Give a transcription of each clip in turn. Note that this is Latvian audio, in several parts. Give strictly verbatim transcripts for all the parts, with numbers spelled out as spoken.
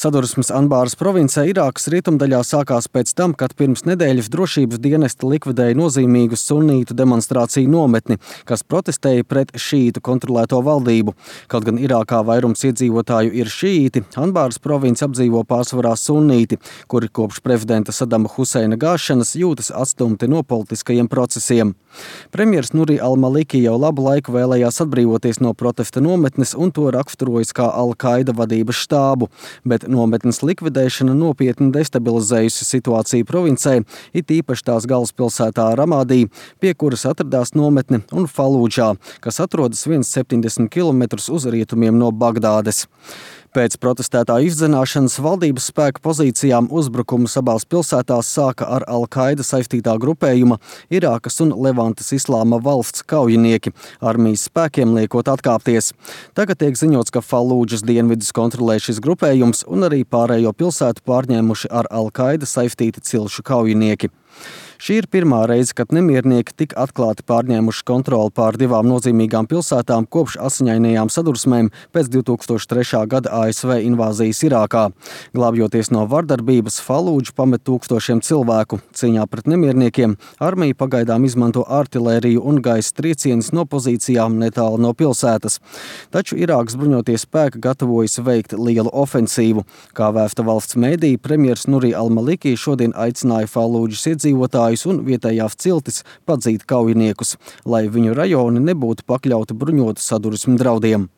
Sadursmes Anbāras provincē Irākas rietumdaļā sākās pēc tam, kad pirms nedēļas drošības dienesti likvidēja nozīmīgu sunītu demonstrāciju nometni, kas protestēja pret šīītu kontrolēto valdību. Kaut gan Irākā vairums iedzīvotāju ir šīīti, Anbāras provinci apdzīvo pārsvarā sunīti, kuri kopš prezidenta Sadama Huseina gāšanas jūtas atstumti no politiskajiem procesiem. Premjers Nuri al-Maliki jau labu laiku vēlējās atbrīvoties no protesta nometnes un to raksturojas kā Al-Qaida vadības štābu, bet nometnes likvidēšana nopietni destabilizējusi situāciju provincē, it īpaši tās galvaspilsētā Ramādī, pie kuras atradās nometne, un Falūdžā, kas atrodas viens septiņdesmit kilometrus uz rietumiem no Bagdādes. Pēc protestētā izdzenāšanas valdības spēku pozīcijām uzbrukumus abās pilsētās sāka ar Al-Qaida saistītā grupējuma Irākas un Levantes Islāma valsts kaujinieki, armijas spēkiem liekot atkāpties. Tagad tiek ziņots, ka Falūdžas dienvidus kontrolē šis grupējums un arī pārējo pilsētu pārņēmuši ar Al-Qaida saistīti cilšu kaujinieki. Šī ir pirmā reize, kad nemiernieki tik atklāti pārņēmuši kontroli pār divām nozīmīgām pilsētām kopš asiņainajām sadursmēm pēc divi tūkstoši trešā gada A S V invāzijas Irākā. Glābjoties no vardarbības, Falūdžu pamet tūkstošiem cilvēku. Cīņā pret nemierniekiem armija pagaidām izmanto artilēriju un gaisa triecienus no pozīcijām netālu no pilsētas. Taču Irākas bruņotie spēki gatavojas veikt lielu ofensīvu. Kā vēsta valsts mēdī, premjers Nuri al-Maliki šodien aicināja Falūdžas iedzīvotājus un vietējās ciltis padzīt kaujiniekus, lai viņu rajoni nebūtu pakļauti bruņotu sadursmu draudiem.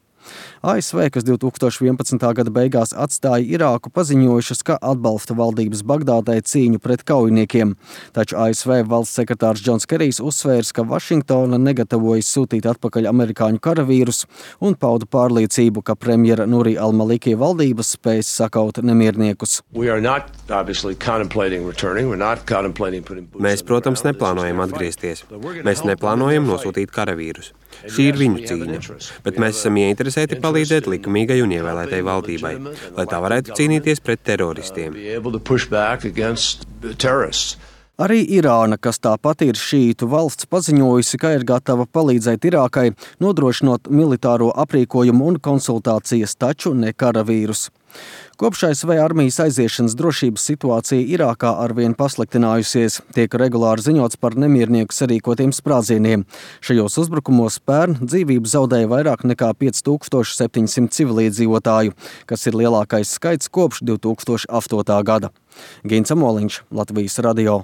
A S V, kas divi tūkstoši vienpadsmitā gada beigās atstāja Irāku, paziņojušas, ka atbalsta valdības Bagdādai cīņu pret kaujiniekiem. Taču A S V valsts sekretārs Džons Kerijs uzsvērs, ka Vašingtona negatavojas sūtīt atpakaļ amerikāņu karavīrus un pauda pārliecību, ka premjera Nuri al-Maliki valdības spēs sakaut nemierniekus. Mēs, protams, neplānojam atgriezties. Mēs neplānojam nosūtīt karavīrus. Šī ir viņu cīņa, bet mēs esam ieinteresēti palīdzēt likumīgai un ievēlētai valdībai, lai tā varētu cīnīties pret teroristiem. Arī Irāna, kas tāpat ir šīītu valsts, paziņojusi, ka ir gatava palīdzēt Irākai, nodrošinot militāro aprīkojumu un konsultācijas, taču ne karavīrus. Kopš A S V armijas aiziešanas drošības situācija Irākā arvien pasliktinājusies, tiek regulāri ziņots par nemiernieku sarīkotiem sprādzieniem. Šajos uzbrukumos pērn dzīvību zaudēja vairāk nekā pieci tūkstoši septiņi simti civiliedzīvotāju, kas ir lielākais skaits kopš divi tūkstoši astotā gada. Gins Amoliņš, Latvijas radio.